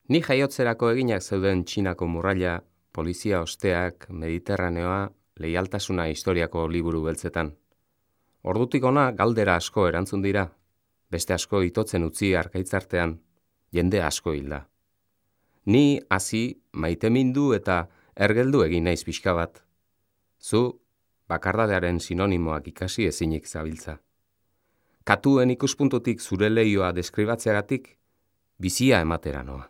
Ni jaiotzerako eginak zeuden Txinako murraila, polizia osteak, Mediterraneoa, leialtasuna historiako liburu beltzetan. Ordutik ona galdera asko erantzun dira, beste asko itotzen utzi arkaitzartean, jende asko hilda. Ni hasi maitemindu eta ergeldu egin naiz pixka bat. Zu, bakardadearen sinonimoak ikasi ezinik zabiltza. Katuen ikuspuntutik zure leioa deskribatzeagatik, bizia ematera noa.